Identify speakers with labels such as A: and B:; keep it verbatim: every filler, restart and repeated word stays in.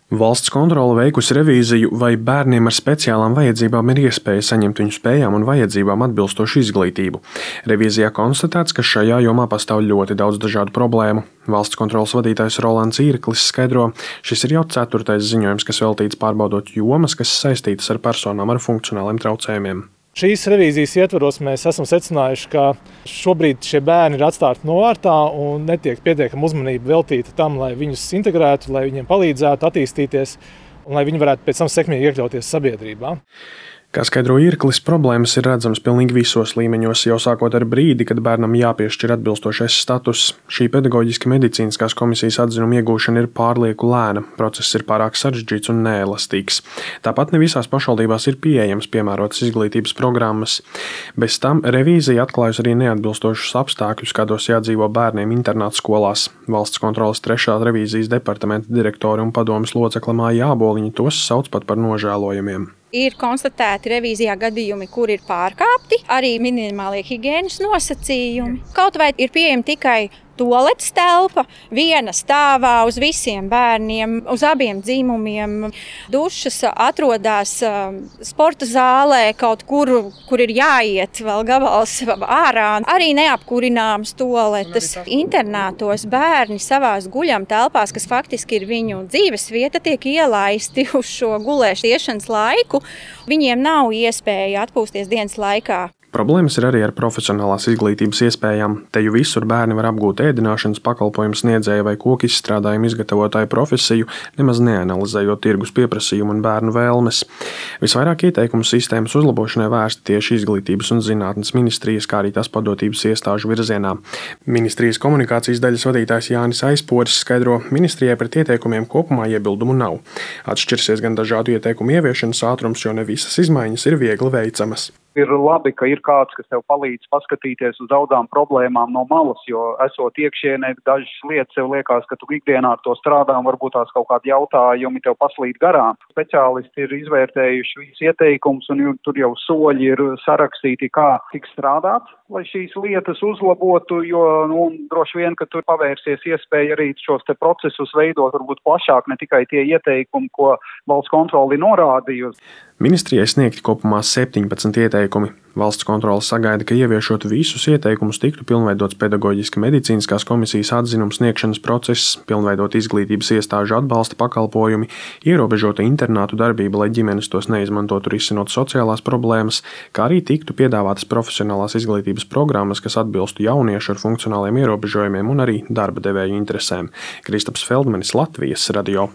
A: Valsts kontrole veikusi revīziju, vai bērniem ar speciālām vajadzībām ir iespēja saņemt viņu spējām un vajadzībām atbilstošu izglītību. Revīzijā konstatēts, ka šajā jomā pastāv ļoti daudz dažādu problēmu. Valsts kontroles vadītājs Rolands Īrklis skaidro, šis ir jau ceturtais ziņojums, kas veltīts pārbaudot jomas, kas saistītas ar personām ar funkcionāliem traucējumiem.
B: Šīs revīzijas ietvaros mēs esam secinājuši, ka šobrīd šie bērni ir atstāti novārtā un netiek pietiekama uzmanība veltīta tam, lai viņus integrētu, lai viņiem palīdzētu attīstīties un lai viņi varētu pēc tam sekmīgi iekļauties sabiedrībā.
A: Kā skaidro Īrklis, problēmas ir redzamas pilnīgi visos līmeņos, jau sākot ar brīdi, kad bērnam jāpiešķir atbilstošais status. Šī pedagoģiski medicīniskās komisijas atzinuma iegūšana ir pārlieku lēna, process ir pārāk sarežģīts un neelastīgs. Tāpat ne visās pašvaldībās ir pieejams piemērotas izglītības programmas. Bez tam revīzija atklājusi arī neatbilstošus apstākļus, kādos jādzīvo bērniem internātu skolās. Valsts kontroles trešā revīzijas departamenta direktore un padomes locekle Māja Āboliņa tos sauc pat par nožēlojumiem.
C: Ir konstatēti revīzijā gadījumi, kur ir pārkāpti arī minimālie higienas nosacījumi. Kaut vai ir pieejama tikai tualetes telpa, viena stāvā uz visiem bērniem, uz abiem dzimumiem. Dušas atrodas sporta zālē, kaut kur, kur ir jāiet vēl gabals ārā. Arī neapkurināmas tualetes. Internātos bērni savās guļam telpās, kas faktiski ir viņu dzīves vieta, tiek ielaisti uz šo gulēšanas laiku. Viņiem nav iespēja atpūsties dienas laikā.
A: Problēmas ir arī ar profesionālās izglītības iespējām. Te jau visur bērni var apgūt ēdināšanas pakalpojumu sniedzēju vai koku izstrādājumu izgatavotāju profesiju, nemaz neanalizējot tirgus pieprasījumu un bērnu vēlmes. Visvairāk ieteikumu sistēmas uzlabošanai vērsti tieši izglītības un zinātnes ministrijas, kā arī tās padotības iestāžu virzienā. Ministrijas komunikācijas daļas vadītājs Jānis Aizporis skaidro, ministrijai pret ieteikumiem kopumā iebildumu nav. Atšķirsies gan dažādu ieteikumu ieviešanas ātrums, jo ne visas izmaiņas ir viegli veicamas.
D: Ir labi, ka ir kāds, kas tev palīdz paskatīties uz daudzām problēmām no malas, jo esot iekšienē dažas lietas, tev liekas, ka tu ikdienā ar to strādā un varbūt tās kaut kādi jautājumi tev paslīd garām. Speciālisti ir izvērtējuši visus ieteikumus un tur jau soļi ir sarakstīti, kā tiks strādāt, lai šīs lietas uzlabotu, jo nu, droši vien, ka tur pavērsies iespēja arī šos te procesus veidot varbūt plašāk, ne tikai tie ieteikumi, ko valsts kontrole norādījusi.
A: Ministrijai sniegti kopumā septiņpadsmit ieteikumi. Valsts kontrole sagaida, ka ieviešot visus ieteikumus tiktu pilnveidots pedagoģiski medicīniskās komisijas atzinuma sniegšanas process, pilnveidot izglītības iestāžu atbalsta pakalpojumi, ierobežota internātu darbība, lai ģimenes tos neizmantotu risinot sociālās problēmas, kā arī tiktu piedāvātas profesionālās izglītības programmas, kas atbilstu jauniešu ar funkcionāliem ierobežojumiem un arī darba devēju interesēm. Kristaps Feldmanis, Latvijas radio.